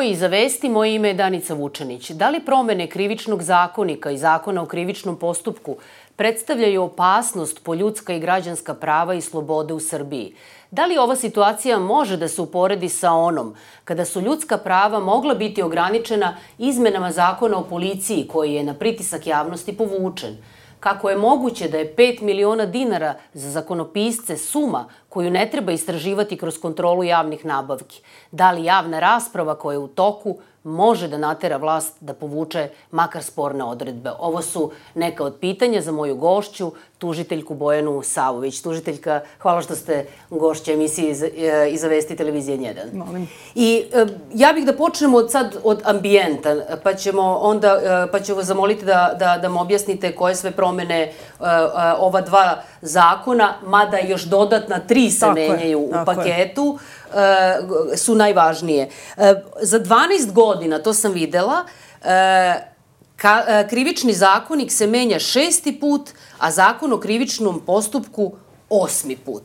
Ovo je Iza vesti, moje ime je Danica Vučanić. Da li promene Krivičnog zakonika i Zakona o krivičnom postupku predstavljaju opasnost po ljudska i građanska prava i slobode u Srbiji? Da li ova situacija može da se uporedi sa onom kada su ljudska prava mogla biti ograničena izmenama Zakona o policiji koji je na pritisak javnosti povučen? Kako je moguće da je 5 miliona dinara za zakonopisce suma koju ne treba istraživati kroz kontrolu javnih nabavki? Da li javna rasprava koja je u toku može da natera vlast da povuče makar sporne odredbe? Ovo su neka od pitanja za moju gošću, tužiteljku Bojanu Savović. Tužiteljka, hvala što ste gošća emisije Iza vesti televizije N1. Molim. I ja bih da počnemo sad od ambijenta, pa ću vas zamoliti da me objasnite koje sve promene ova dva zakona, mada još dodatna 3 se menjaju u paketu, su najvažnije. Za 12 godina, to sam videla, Krivični zakonik se menja 6. put, a Zakon o krivičnom postupku 8. put.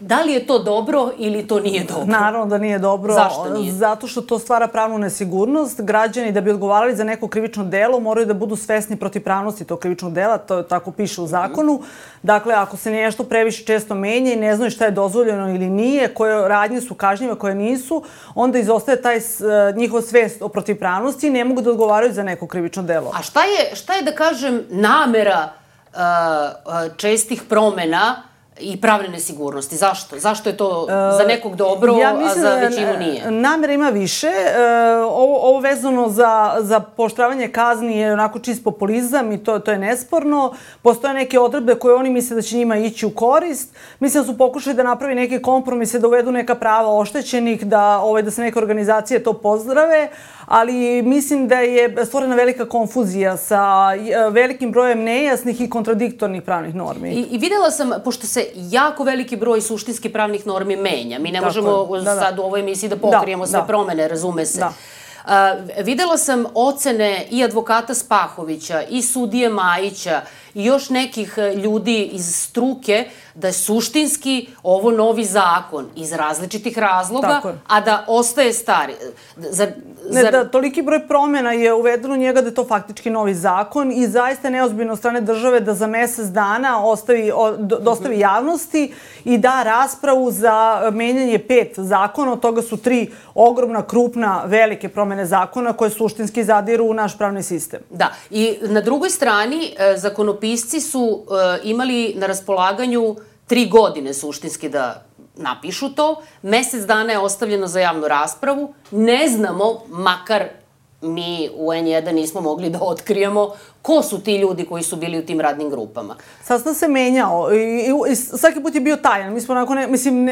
Da li je to dobro ili to nije dobro? Naravno da nije dobro. Zašto nije? Zato što to stvara pravnu nesigurnost. Građani da bi odgovarali za neko krivično delo moraju da budu svesni protivpravnosti tog krivičnog dela, to tako piše u zakonu. Dakle, ako se nešto previše često menja i ne znaju šta je dozvoljeno ili nije, koje radnje su kažnjive, koje nisu, onda izostaje taj njihova svest o protivpravnosti i ne mogu da odgovaraju za neko krivično delo. A šta je da kažem namera čestih promena i pravne nesigurnosti? Zašto? Zašto je to za nekog dobro, a za većinu nije? Namera ima više. Ovo vezano za pooštravanje kazni je onako čist populizam i to je nesporno. Postoje neke odredbe koje oni misle da će njima ići u korist. Mislim da su pokušali da napravi neke kompromise, da uvedu neka prava oštećenih, da se neke organizacije to pozdrave, ali mislim da je stvorena velika konfuzija sa velikim brojem nejasnih i kontradiktornih pravnih normi. I videla sam, pošto se jako veliki broj suštinski pravnih normi menja, mi ne možemo sad u ovoj emisiji da pokrijemo sve promene, razume se. Videla sam ocene i advokata Spahovića, i sudije Majića, i još nekih ljudi iz struke da je suštinski ovo novi zakon iz različitih razloga, a da ostaje stari. Toliki broj promjena je uvedeno njega da je to faktički novi zakon i zaista je neozbiljno od strane države da za mesec dana dostavi javnosti i da raspravu za menjanje 5 zakona, od toga su 3 ogromna, krupna, velike promjene zakona koje suštinski zadiru u naš pravni sistem. Da, i na drugoj strani zakonopisci su imali na raspolaganju 3 godine suštinski da napišu to. Mesec dana je ostavljeno za javnu raspravu. Ne znamo, makar mi u N1 nismo mogli da otkrijemo ko su ti ljudi koji su bili u tim radnim grupama. Sastav se menjao i svaki put je bio tajan. Mi smo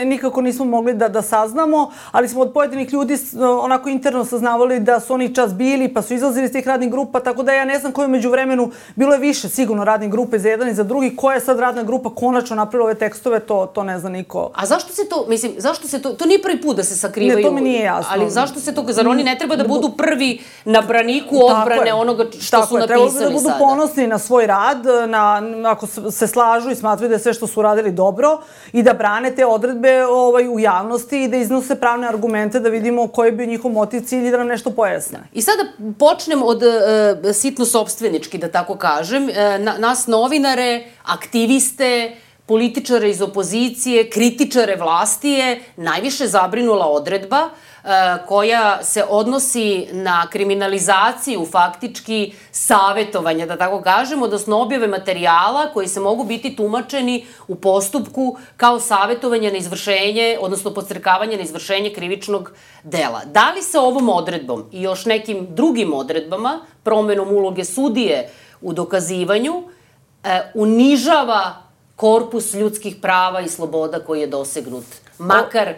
nikako nismo mogli da saznamo, ali smo od pojedinih ljudi onako interno saznavali da su oni čas bili pa su izlazili iz tih radnih grupa, tako da ja ne znam koje je među vremenu, bilo je više sigurno radnih grupe za jedan i za drugi, koja je sad radna grupa konačno napravila ove tekstove, to ne zna niko. A zašto se to nije prvi put da se sakrivaju? Ne, to mi nije jasno. Ali zašto se to, zar oni ne treba da budu prvi na braniku odbrane onoga što su napisali? Budu ponosni na svoj rad, ako se slažu i smatraju da je sve što su uradili dobro i da brane te odredbe u javnosti i da iznose pravne argumente da vidimo koji bi njihov motiv, cilj i da nam nešto pojasne. I sada počnem od sitno sopstvenički, da tako kažem. Nas novinare, aktiviste, političare iz opozicije, kritičare vlasti je najviše zabrinula odredba koja se odnosi na kriminalizaciju faktički savetovanja, da tako kažem, odnosno objave materijala koji se mogu biti tumačeni u postupku kao savetovanje na izvršenje, odnosno podstrekavanje na izvršenje krivičnog dela. Da li se ovom odredbom i još nekim drugim odredbama, promenom uloge sudije u dokazivanju, unižava korpus ljudskih prava i sloboda koji je dosegnut, makar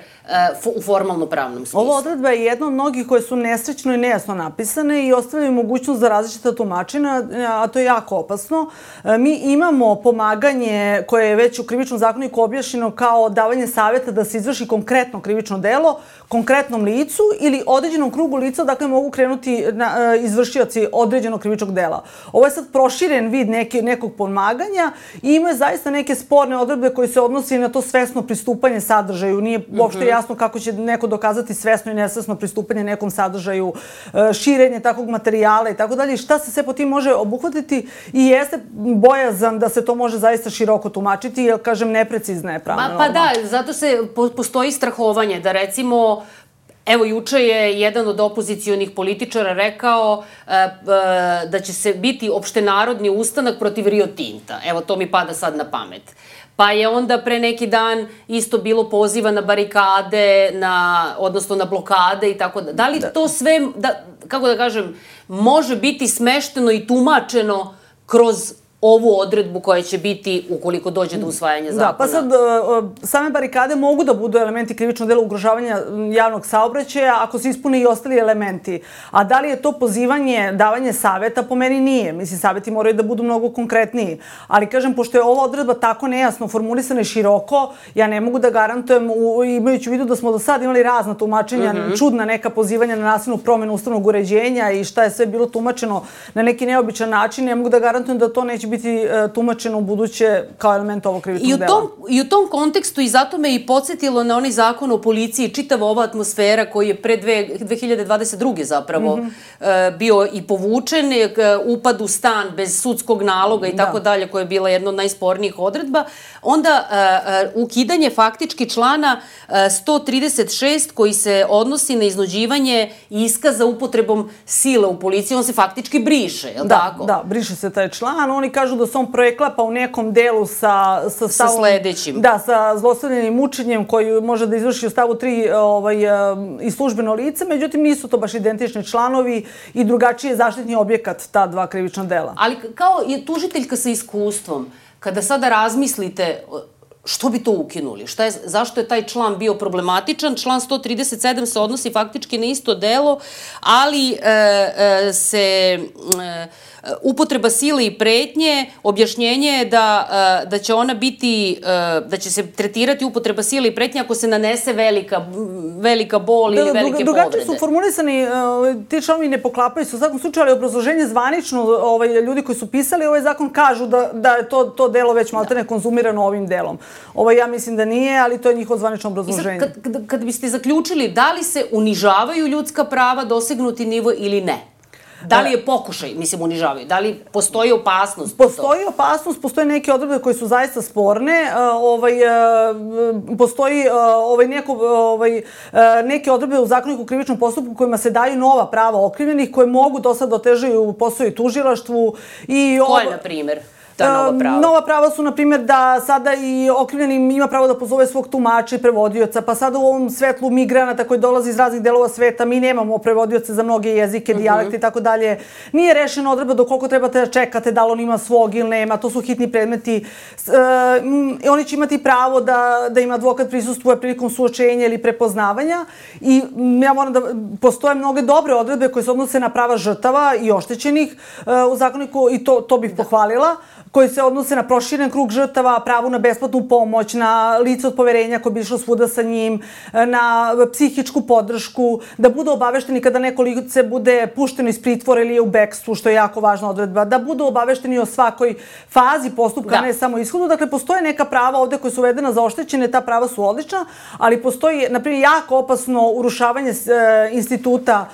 u formalno-pravnom smislu? Ova odredba je jedna od mnogih koje su nesrećno i nejasno napisane i ostavljaju mogućnost za različita tumačenja, a to je jako opasno. Mi imamo pomaganje koje je već u krivičnom zakoniku objašnjeno kao davanje savjeta da se izvrši konkretno krivično delo konkretnom licu ili određenom krugu lica, dakle mogu krenuti izvršioci određenog krivičnog dela. Ovo je sad proširen vid nekog pomaganja i ima zaista neke sporne odredbe koje se odnosi na to svesno pristupanje sadržaju. Nije uopšte jasno jasno kako će neko dokazati svesno i nesvesno pristupanje nekom sadržaju, širenje takvog materijala i tako dalje. Šta se sve po tim može obuhvatiti i jeste bojazan da se to može zaista široko tumačiti, jer, kažem, neprecizna je pravna norma. Pa da, zato postoji strahovanje da recimo, evo, juče je jedan od opozicionih političara rekao da će se biti opštenarodni ustanak protiv Rio Tinta. Evo, to mi pada sad na pamet. Pa je onda pre neki dan isto bilo poziva na barikade, odnosno na blokade i tako da. Da li to sve, kako da kažem, može biti smešteno i tumačeno kroz ovu odredbu koja će biti ukoliko dođe do usvajanja zakona? Da, pa sad same barikade mogu da budu elementi krivičnog dela ugrožavanja javnog saobraćaja ako se ispune i ostali elementi. A da li je to pozivanje, davanje saveta, po meni nije. Mislim, saveti moraju da budu mnogo konkretniji. Ali, kažem, pošto je ova odredba tako nejasno formulisana i široko, ja ne mogu da garantujem, imajući u vidu da smo do sad imali razna tumačenja, čudna neka pozivanja na nasilnu promenu ustavnog uređenja i šta je sve bilo tumačeno na neki neobičan način, ne mogu da garantujem da to neće biti tumačeno u buduće kao element ovog krivičnog dela. I u tom kontekstu, i zato me i podsjetilo na onaj zakon o policiji, čitava ova atmosfera koji je pre 2022. zapravo bio i povučen, upad u stan bez sudskog naloga i tako dalje, koja je bila jedna od najspornijih odredba, onda ukidanje faktički člana 136 koji se odnosi na iznuđivanje iskaza upotrebom sile u policiji, on se faktički briše, je li tako? Da, briše se taj član. Oni kažu da se on preklapa u nekom delu sa sledećim. Da, sa zlostavljanjem i mučenjem koji može da izvrši u stavu 3 i službeno lice, međutim nisu to baš identični članovi i drugačiji je zaštitni objekat ta dva krivična dela. Ali kao je tužiteljka sa iskustvom, kada sada razmislite što bi to ukinuli? Zašto je taj član bio problematičan? Član 137 se odnosi faktički na isto delo, ali se upotreba sile i pretnje, objašnjenje je da će ona biti, da će se tretirati upotreba sile i pretnje ako se nanese velika bol ili velike povrede. Drugačije su formulisani, ti članovi ne poklapaju se u svakom slučaju, ali obrazloženje zvanično, ljudi koji su pisali ovaj zakon kažu da je to delo već maltene konzumirano ovim delom. Ja mislim da nije, ali to je njihovo zvanično obrazloženje. Kad biste zaključili, da li se unižavaju ljudska prava, dosegnuti nivo ili ne? Da li je pokušaj, mislim, unižavaju? Da li postoji opasnost? Postoji opasnost, postoje neke odredbe koje su zaista sporne. Postoji neke odredbe u Zakoniku o krivičnom postupku kojima se daju nova prava okrivljenih koje mogu do sad otežaju posao i tužilaštvu. Koje, na primjer? Nova prava su, na primjer, da sada i okrivljeni ima pravo da pozove svog tumača i prevodioca, pa sada u ovom svetlu migranata koji dolazi iz raznih delova sveta, mi nemamo prevodioce za mnoge jezike, dijalekte i tako dalje. Nije rešena odredba do koliko trebate da čekate, da li on ima svog ili nema, to su hitni predmeti. Oni će imati pravo da im advokat prisustvuje prilikom suočenja ili prepoznavanja i ja moram da postoje mnoge dobre odredbe koje se odnose na prava žrtava i oštećenih u zakoniku i to bih pohvalila, koji se odnose na proširen krug žrtava, pravu na besplatnu pomoć, na lice od poverenja koje bi išlo svuda sa njim, na psihičku podršku, da budu obavešteni kada neko lice bude pušteno iz pritvora ili je u bekstvu, što je jako važna odredba, da budu obavešteni o svakoj fazi postupka, ne samo ishodu. Dakle, postoje neka prava ovde koje su uvedena za oštećene, ta prava su odlična, ali postoji, na primjer, jako opasno urušavanje instituta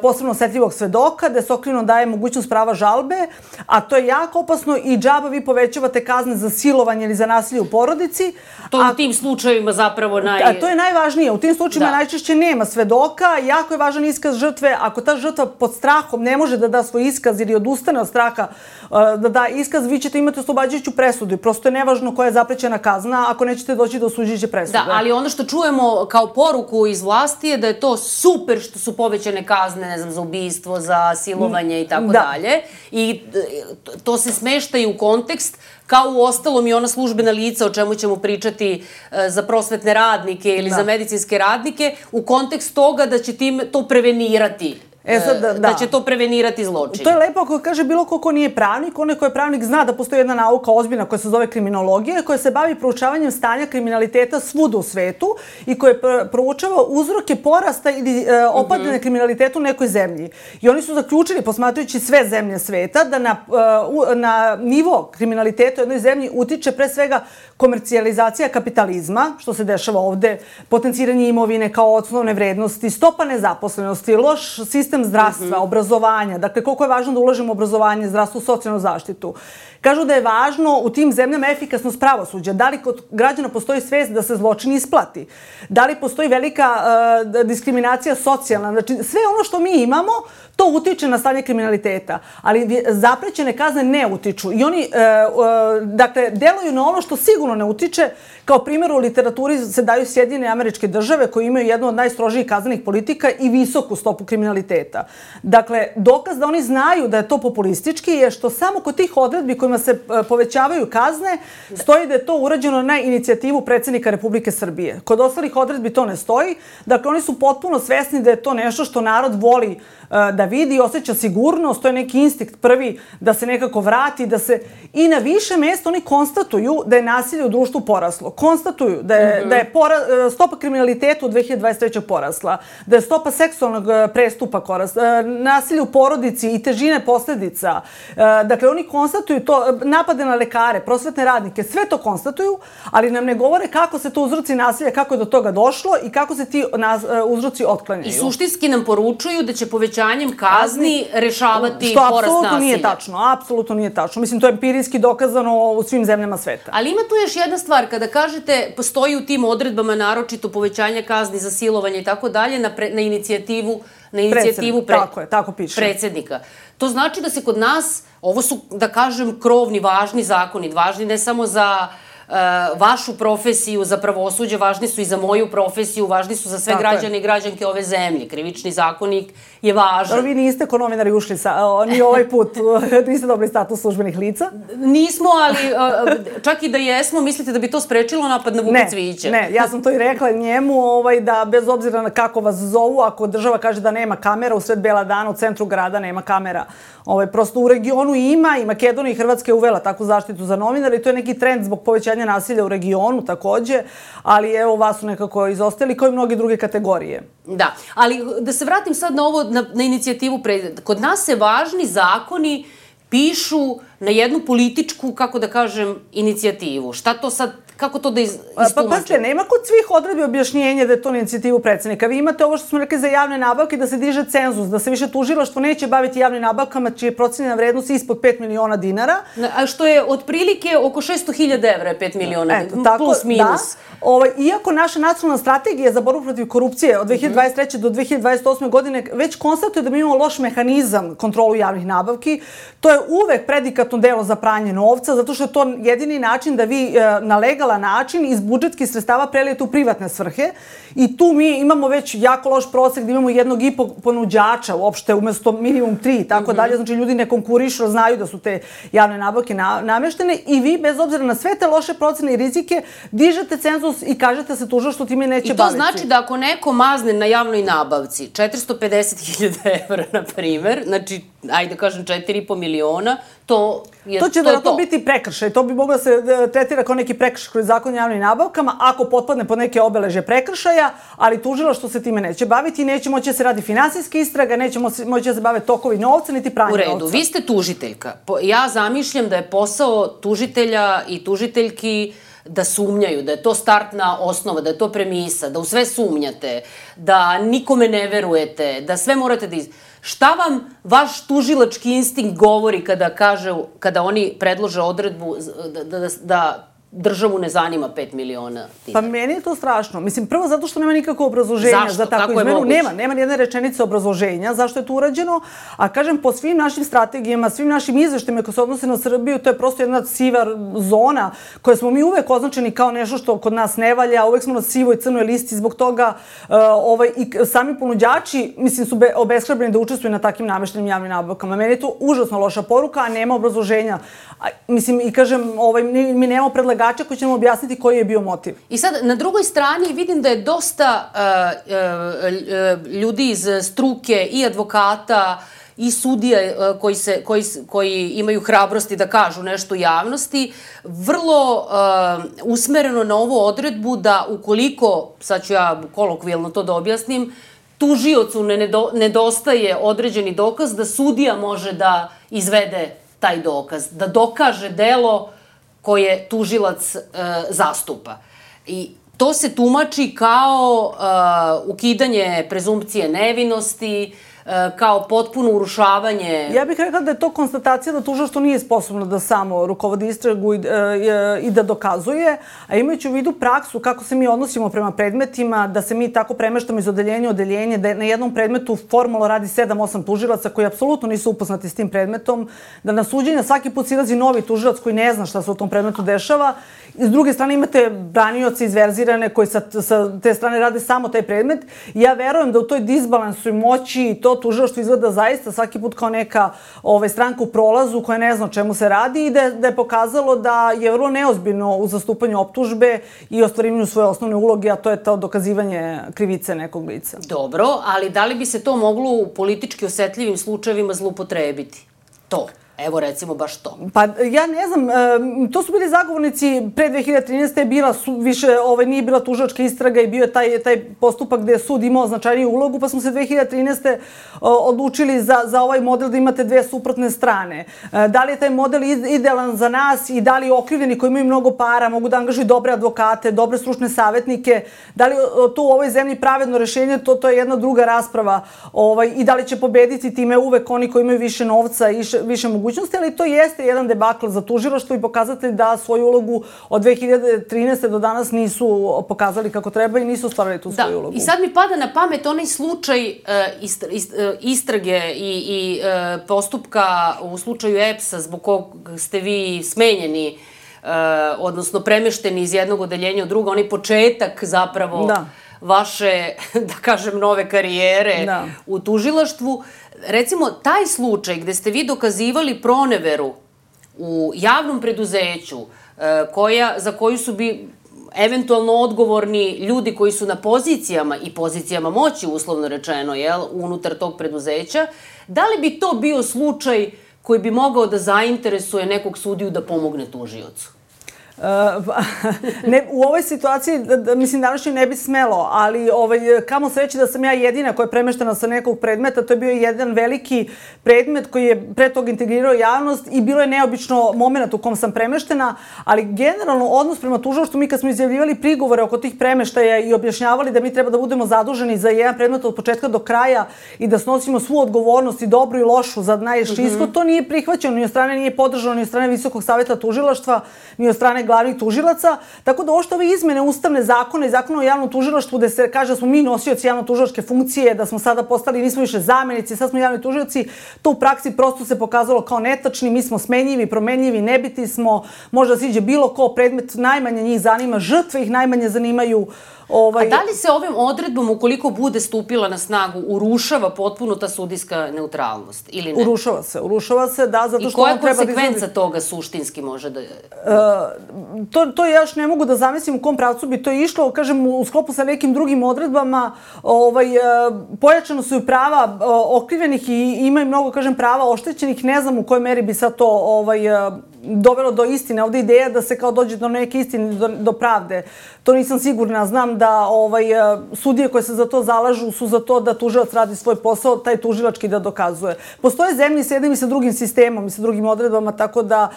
posebno osetljivog svedoka, gde se okrivljenom daje mogućnost prava žalbe, a to je jako opasno i džaba vi povećavate kazne za silovanje ili za nasilje u porodici. To u tim slučajevima zapravo To je najvažnije. U tim slučajevima najčešće nema svedoka. Jako je važan iskaz žrtve. Ako ta žrtva pod strahom ne može da da svoj iskaz ili odustane od straha da da iskaz, vi ćete imati oslobađajuću presudu. Prosto je nevažno koja je zaprećena kazna ako nećete doći do osuđujuće presude. Da, ali ono što čujemo kao poruku iz vlasti je da je to super što su povećane kazne, ne znam, za ubistvo, za silovanje i tako dalje. I to se smešta i u kontekst, kao u ostalom i ona službena lica o čemu ćemo pričati za prosvetne radnike ili za medicinske radnike, u kontekst toga da će tim to prevenirati. da će to prevenirati zločine. To je lepo ako kaže bilo ko nije pravnik, onaj ko je pravnik zna da postoji jedna nauka ozbiljna koja se zove kriminologija, koja se bavi proučavanjem stanja kriminaliteta svuda u svetu i koja proučava uzroke porasta ili opadanja kriminaliteta u nekoj zemlji. I oni su zaključili, posmatrajući sve zemlje sveta, da na nivo kriminaliteta u jednoj zemlji utiče pre svega komercijalizacija kapitalizma, što se dešava ovde, potenciranje imovine kao osnovne vrednosti, stopa nezaposlenosti, loš sistem zdravstva, obrazovanja, dakle koliko je važno da ulažemo u obrazovanje, zdravstvo, socijalnu zaštitu. Kažu da je važno u tim zemljama efikasnost pravosuđa. Da li kod građana postoji svest da se zločin isplati? Da li postoji velika diskriminacija socijalna? Znači, sve ono što mi imamo, to utiče na stanje kriminaliteta. Ali zaprećene kazne ne utiču. I oni, dakle, deluju na ono što sigurno ne utiče. Kao primjer u literaturi se daju Sjedinjene Američke Države koji imaju jednu od najstrožijih kaznenih politika i visoku stopu kriminaliteta. Dakle, dokaz da oni znaju da je to populistički je što samo kod tih odredbi kojima se povećavaju kazne stoji da je to urađeno na inicijativu predsjednika Republike Srbije. Kod ostalih odredbi to ne stoji. Dakle, oni su potpuno svesni da je to nešto što narod voli da vidi i osjeća sigurnost, to je neki instinkt prvi da se nekako vrati, da se i na više mesta oni konstatuju da je nasilje u društvu poraslo. Konstatuju da je stopa kriminaliteta u 2023. porasla, da je stopa seksualnog prestupa porasla, nasilje u porodici i težine posledica. Dakle, oni konstatuju to, napade na lekare, prosvetne radnike, sve to konstatuju, ali nam ne govore kako se to uzroci nasilja, kako je do toga došlo i kako se ti uzroci otklanjaju. I suštinski nam poručuju da će povećanjem kazni rešavati porast nasilja. Što apsolutno nije tačno. Apsolutno nije tačno. Mislim, to je empirijski dokazano u svim zemljama sveta. Ali ima tu još jedna stvar. Kada kažete, postoji u tim odredbama naročito povećanje kazni za silovanje i tako dalje na inicijativu predsjednika. To znači da se kod nas, ovo su, da kažem, krovni, važni zakoni, važni ne samo za vašu profesiju, za pravosuđe, važni su i za moju profesiju, važni su za sve građane i građanke ove zemlje. Krivični zakonik je važan. Vi niste ko novinari ušli ni ovaj put, niste dobili status službenih lica? Nismo, ali čak i da jesmo, mislite da bi to sprečilo napad na Vuka Cvijića? Ne, ja sam to i rekla njemu, da bez obzira na kako vas zovu, ako država kaže da nema kamera, u sred bela dana u centru grada nema kamera. Prosto u regionu ima i Makedonija i Hrvatska je uvela takvu zaštitu za novinare i to je neki trend zbog povećanja nasilja u regionu takođe, ali evo vas su nekako izostali kao i mnoge druge kategorije. Da, ali da se vratim sad na ovo, na inicijativu. Kod nas se važni zakoni pišu na jednu političku, kako da kažem, inicijativu. Šta to sad, kako to da istumačimo? Pa pazite, nema kod svih odredbi objašnjenja da je to na inicijativu predsjednika. Vi imate ovo što smo rekli za javne nabavke, da se diže cenzus, da se više tužilaštvo neće baviti javnim nabavkama, čija je procenjena vrednost ispod 5 miliona dinara. A što je otprilike oko 600.000 evra, 5 miliona, plus minus. Iako naša nacionalna strategija za borbu protiv korupcije od 2023. do 2028. godine već konstatuje da mi imamo loš mehanizam kontrolu javnih nabavki, to je uvek predikatno delo za pranje novca, zato što je to jedini način da vi na legalan način iz budžetskih sredstava prelijete u privatne svrhe i tu mi imamo već jako loš prosek da imamo 1,5 ponuđača uopšte umesto minimum 3 i tako dalje. Znači ljudi ne konkurišu, znaju da su te javne nabavke nameštene i vi bez obzira na sve te loše procene i rizike dižete cenzus i kažete se tužilaštvo time neće baviti. I to znači da ako neko mazne na javnoj nabavci 450.000 evra, na primer, znači, ajde kažem 4,5 miliona, to će da biti prekršaj. To bi moglo da se tretira kao neki prekršaj kroz zakon o javnim nabavkama ako potpadne pod neke obeležje prekršaja, ali tužilaštvo se time neće baviti i neće moći da se radi finansijska istraga, neće moći da se bave tokovi novca, niti pranje novca. U redu, vi ste tužiteljka. Ja zamišljam da je posao tužitelja i tužiteljki da sumnjaju, da je to startna osnova, da je to premisa, da u sve sumnjate, da nikome ne verujete, da sve morate da... Šta vam vaš tužilački instinkt govori kada oni predlože odredbu da državu ne zanima 5 miliona dinara? Pa meni je to strašno. Mislim, prvo zato što nema nikakvo obrazloženja za takvu izmenu. Nema nijedne rečenice obrazloženja zašto je to urađeno, a kažem, po svim našim strategijama, svim našim izveštajima koji se odnose na Srbiju, to je prosto jedna siva zona koja smo mi uvek označeni kao nešto što kod nas ne valja, uvek smo na sivoj crnoj listi, zbog toga i sami ponuđači, mislim, su obeshrabreni da učestvuju na takvim nameštenim javnim nabavkama. Meni je to užasno loša poruka, a nema obrazloženja. Mislim, i kažem, mi nemamo predlagača predlagača koji će nam objasniti koji je bio motiv. I sad, na drugoj strani vidim da je dosta ljudi iz struke i advokata i sudija koji imaju hrabrosti da kažu nešto u javnosti, vrlo usmereno na ovu odredbu da ukoliko, sad ću ja kolokvijalno to da objasnim, tužiocu nedostaje određeni dokaz, da sudija može da izvede taj dokaz, da dokaže delo koje tužilac zastupa. I to se tumači kao ukidanje prezumpcije nevinosti, kao potpuno urušavanje... Ja bih rekla da je to konstatacija da tužilaštvo nije sposobno da samo rukovodi istragu i da dokazuje, a imajući u vidu praksu kako se mi odnosimo prema predmetima, da se mi tako premeštamo iz odeljenja u odeljenje, da na jednom predmetu formalno radi 7-8 tužilaca koji apsolutno nisu upoznati s tim predmetom, da na suđenja svaki put silazi novi tužilac koji ne zna šta se u tom predmetu dešava. I s druge strane imate branioce izverzirane koji sa te strane rade samo taj predmet. Ja verujem da u toj disbalansu i moći to tužilaštvo izgleda zaista svaki put kao neka stranka u prolazu koja ne zna o čemu se radi i da je pokazalo da je vrlo neozbiljno u zastupanju optužbe i ostvarivanju svoje osnovne uloge, a to je to dokazivanje krivice nekog lica. Dobro, ali da li bi se to moglo u politički osetljivim slučajevima zloupotrebiti? To. Evo, recimo, baš to. Pa, ja ne znam, to su bili zagovornici pre 2013. Bila više, nije bila tužilačka istraga i bio je taj postupak gde je sud imao značajniju ulogu, pa smo se 2013. odlučili za ovaj model da imate dve suprotne strane. Da li je taj model idealan za nas i da li okrivljeni koji imaju mnogo para mogu da angažuju dobre advokate, dobre stručne savjetnike, da li to u ovoj zemlji pravedno rešenje, to je jedna druga rasprava i da li će pobediti time uvek oni koji imaju više novca i više mogućnosti, ali to jeste jedan debakl za tužilaštvo i pokazatelj da svoju ulogu od 2013. do danas nisu pokazali kako treba i nisu ostvarili tu svoju ulogu. I sad mi pada na pamet onaj slučaj istrage i postupka u slučaju EPS-a zbog kog ste vi smenjeni, odnosno premešteni iz jednog odeljenja u drugo, onaj početak zapravo vaše, da kažem, nove karijere u tužilaštvu. Recimo, taj slučaj gde ste vi dokazivali proneveru u javnom preduzeću za koju su bi eventualno odgovorni ljudi koji su na pozicijama i pozicijama moći, uslovno rečeno, unutar tog preduzeća, da li bi to bio slučaj koji bi mogao da zainteresuje nekog sudiju da pomogne tužiocu? U ovoj situaciji, mislim, današnje ne bi smelo, ali kamo sreći da sam ja jedina koja je premeštena sa nekog predmeta. To je bio jedan veliki predmet koji je pre toga integrirao javnost i bilo je neobično moment u kom sam premeštena, ali generalno odnos prema tužilaštvu, mi kad smo izjavljivali prigovore oko tih premeštaja i objašnjavali da mi treba da budemo zaduženi za jedan predmet od početka do kraja i da snosimo svu odgovornost i dobru i lošu za najviši ishod, to nije prihvaćeno, ni od strane nije podržano, ni od strane Visokog saveta tužilaštva, ni od strane glavnih tužilaca, tako da ošto ove izmene ustavne zakona i zakona o javnom tužilaštvu gde se kaže da smo mi nosioci javno-tužilačke funkcije, da smo sada postali, nismo više zamenici, sad smo javni tužioci, to u praksi prosto se pokazalo kao netačni, mi smo smenjivi, promenljivi, nebiti smo, možda siđe bilo ko predmet, najmanje njih zanima, žrtve ih najmanje zanimaju. A da li se ovim odredbom, ukoliko bude stupila na snagu, urušava potpuno ta sudijska neutralnost ili ne? Urušava se, da, zato što on treba da... I koja konsekvenca toga suštinski može da... To ja još ne mogu da zamislim u kom pravcu bi to išlo, kažem, u sklopu sa nekim drugim odredbama, pojačano su i prava okrivljenih i imaju mnogo, kažem, prava oštećenih, ne znam u kojoj meri bi sad to dovelo do istine. Ovde ideja da se kao dođe do neke istine, do pravde. To nisam sigurna. Znam da sudije koje se za to zalažu su za to da tužilac radi svoj posao, taj tužilački da dokazuje. Postoje zemlje sa jednim i sa drugim sistemom i sa drugim odredbama, tako da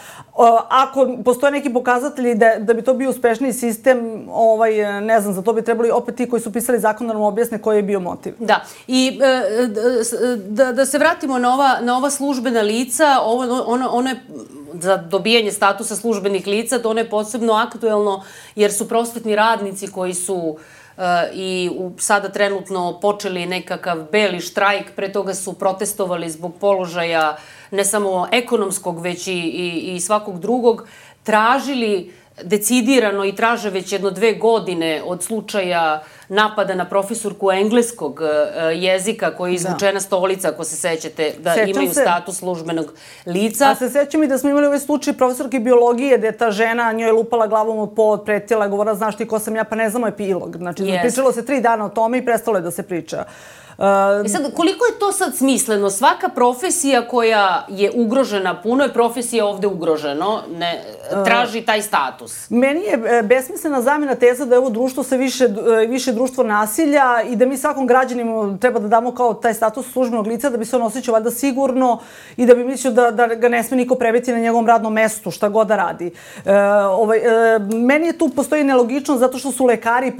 ako postoje neki pokazatelji da bi to bio uspešniji sistem, ne znam, za to bi trebali opet ti koji su pisali zakon da nam objasne koji je bio motiv. Da. I da se vratimo na ova službena lica, ono je za dobijanje statusa službenih lica, to ono je posebno aktuelno jer su prosvetni radnici koji su i sada trenutno počeli nekakav beli štrajk, pre toga su protestovali zbog položaja ne samo ekonomskog, već i svakog drugog, tražili decidirano i traže već 1-2 godine od slučaja napada na profesorku engleskog jezika koja je izvučena stolica, ako se sećate, da imaju status službenog lica. A se sećam i da smo imali ovaj slučaj profesorke biologije gde je ta žena njoj lupala glavom u pod, pretila, govorila znaš ti ko sam ja, pa ne znamo epilog. Znači, pričalo se 3 dana o tome i prestalo je da se priča. I sad, koliko je to sad smisleno? Svaka profesija koja je ugrožena, puno je profesija ovde ugroženo, traži taj status. Meni je besmislena zamena teza da je ovo društvo sve više društvo nasilja i da mi svakom građaninu treba da damo kao taj status službenog lica da bi se on osjećao valjda sigurno i da bi mislio da ga ne sme niko prebiti na njegovom radnom mestu, šta god da radi. Meni je tu postoji nelogičnost zato što su lekari i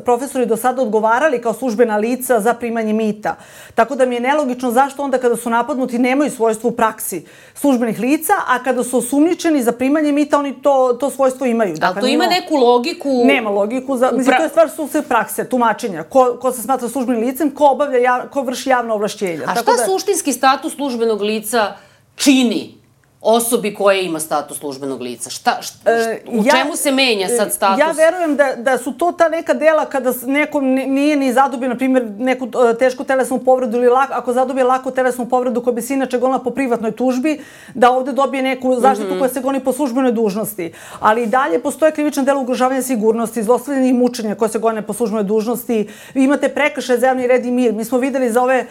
profesori do sada odgovarali kao službena lica za primanje mita. Tako da mi je nelogično zašto onda kada su napadnuti nemaju svojstvo u praksi službenih lica, a kada su osumnjičeni za primanje mita oni to svojstvo imaju. Ali to ima neku logiku? Nema logiku. Mislim, to je stvar sudske prakse, tumačenja. Ko se smatra službenim licem, ko vrši javno ovlašćenje. A šta suštinski status službenog lica čini osobi koja ima status službenog lica? U čemu se menja sad status? Ja verujem da su to ta neka dela kada neko nije ni zadobio, na primjer, neku tešku telesnu povredu ili ako zadobije laku telesnu povredu koja bi se inače gonila po privatnoj tužbi, da ovde dobije neku zaštitu koja se goni po službenoj dužnosti. Ali i dalje postoje krivična dela ugrožavanja sigurnosti, zlostavljanja i mučenja koje se gone po službenoj dužnosti. Vi imate prekršaje za javni red i mir. Mi smo videli za ove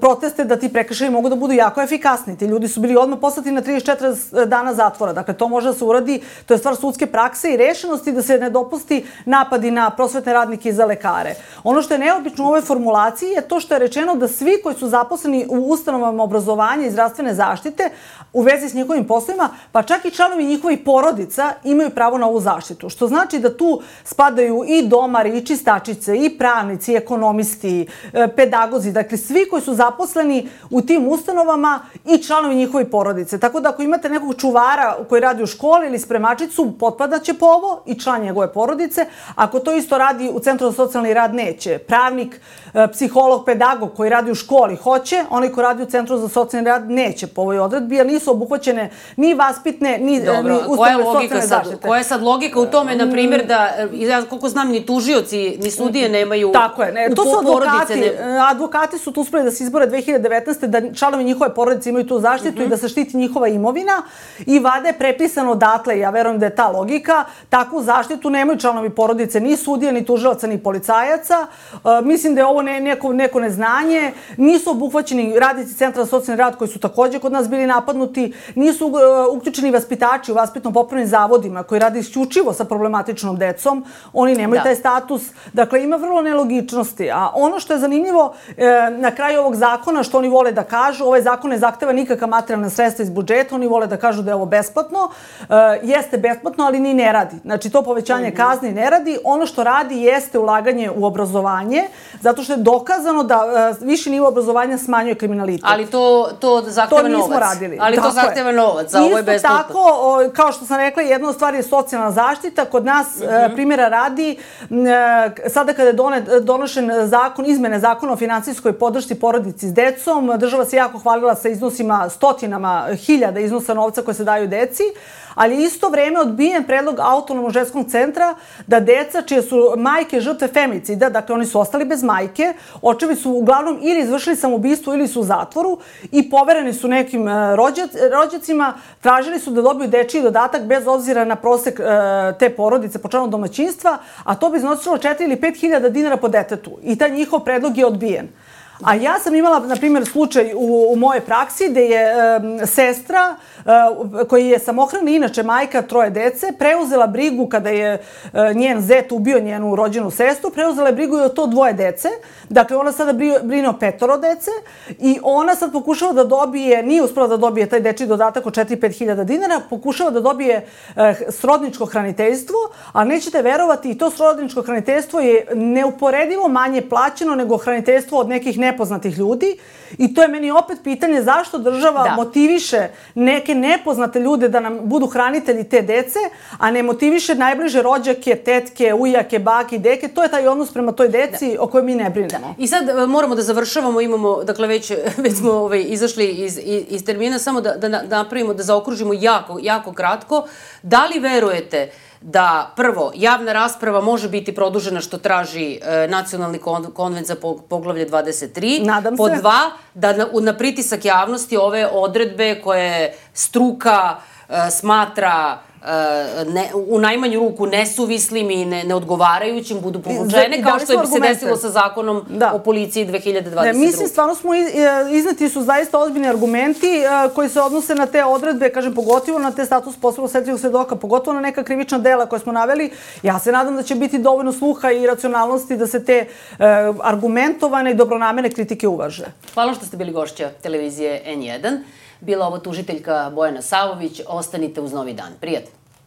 proteste da ti prekršaji mogu da budu jako efikasni. Ti ljudi su bili odmah poslati na 34 dana zatvora. Dakle, to može da se uradi, to je stvar sudske prakse i rešenosti da se ne dopusti napadi na prosvetne radnike i za lekare. Ono što je neobično u ovoj formulaciji je to što je rečeno da svi koji su zaposleni u ustanovama obrazovanja i zdravstvene zaštite u vezi s njihovim poslovima, pa čak i članovi njihovih porodica imaju pravo na ovu zaštitu. Što znači da tu spadaju i domari, i čistačice, i pravnici, i ekonomisti, pedagozi, dakle svi koji su zaposleni u tim ustanovama i članovi njihove porodice. Tako da ako imate nekog čuvara koji radi u školi ili spremačicu, potpadaće po ovo i član njegove porodice. Ako to isto radi u Centru za socijalni rad, neće. Pravnik, psiholog, pedagog koji radi u školi hoće, onaj koji radi u Centru za socijalni rad neće po ovoj odredbi, jer nisu obuhvaćene ni vaspitne, ni ustanove socijalne zaštite. Koja je sad logika u tome, na primjer, da, ja koliko znam, ni tužioci, ni sudije nemaju... Tako je, to su advokati. Advokati su tu uspeli da se izbore 2019. da članovi njihove porodice imaju tu zaštitu i da se štiti njihova imovina i vada je prepisano odatle, ja verujem da je ta logika, takvu zaštitu nemaju članovi porodice, ni sudija, ni tužilaca, ni policajaca. Mislim da je ovo neko neznanje. Nisu obuhvaćeni radnici Centra za socijalni rad koji su takođe kod nas bili napadnuti, nisu uključeni vaspitači u vaspitno-popravnim zavodima koji rade isključivo sa problematičnom decom, oni nemaju taj status. Dakle, ima vrlo nelogičnosti. A ono što je zanimljivo na kraju ovog zakona, što oni vole da kažu, ovaj zakon ne zahteva nikakva materijalna sredstva iz budžeta, oni vole da kažu da je ovo besplatno. Jeste besplatno, ali ni ne radi. Znači, to povećanje kazni ne radi. Ono što radi jeste ulaganje u obrazovanje, zato što je dokazano da viši nivo obrazovanja smanjuje kriminalitet. Ali to zahteva novac. To nismo radili. Ali to zahteva novac, a ovo je besplatno. Isto tako, kao što sam rekla, jedna od stvari je socijalna zaštita. Kod nas, primjera radi, sada kada je donošen izmene zakona o finansijskoj podršci porodici s decom, država se jako hvalila sa iznosima, stotinama hiljada iznosa novca koje se daju deci, ali je isto vreme odbijen predlog Autonomnog ženskog centra da deca čije su majke žrtve femicida, dakle oni su ostali bez majke, očevi su uglavnom ili izvršili samoubistvo ili su u zatvoru i povereni su nekim rođacima, tražili su da dobiju dečiji dodatak bez obzira na prosek te porodice po članu domaćinstva, a to bi iznosilo 4 ili 5 hiljada dinara po detetu i taj njihov predlog je odbijen. A ja sam imala, na primjer, slučaj u mojoj praksi gde je sestra, koji je samohrana, inače majka 3 dece, preuzela brigu kada je njen zet ubio njenu rođenu sestru, preuzela je brigu i o to 2 dece. Dakle, ona sada brine o 5 dece i ona sad pokušava da dobije, nije uspela da dobije taj dečiji dodatak od 4-5 hiljada dinara, pokušava da dobije srodničko hraniteljstvo, ali nećete verovati, i to srodničko hraniteljstvo je neuporedivo manje plaćeno nego hraniteljstvo od nekih nepoznatih ljudi i to je meni opet pitanje zašto država motiviše neke nepoznate ljude da nam budu hranitelji te dece, a ne motiviše najbliže rođake, tetke, ujake, bake i deke. To je taj odnos prema toj deci o kojoj mi ne brinemo. I sad moramo da završavamo, imamo, dakle već smo izašli iz termina, samo da napravimo, da zaokružimo jako kratko. Da li verujete da prvo, javna rasprava može biti produžena što traži Nacionalni konvent za poglavlje 23. Nadam se. Pod dva, da na pritisak javnosti ove odredbe koje struka smatra u najmanju ruku nesuvislim i neodgovarajućim budu povučene, kao što je se desilo sa zakonom o policiji 2022. Mislim, stvarno smo izneti su zaista ozbiljni argumenti koji se odnose na te odredbe, kažem, pogotovo na te status posebno osetljivog svedoka, pogotovo na neka krivična dela koje smo naveli. Ja se nadam da će biti dovoljno sluha i racionalnosti da se te argumentovane i dobronamerne kritike uvaže. Hvala što ste bili gošća televizije N1. Bila ovo tužiteljka Bojana Savović. Ostanite uz Novi dan. Prijatno.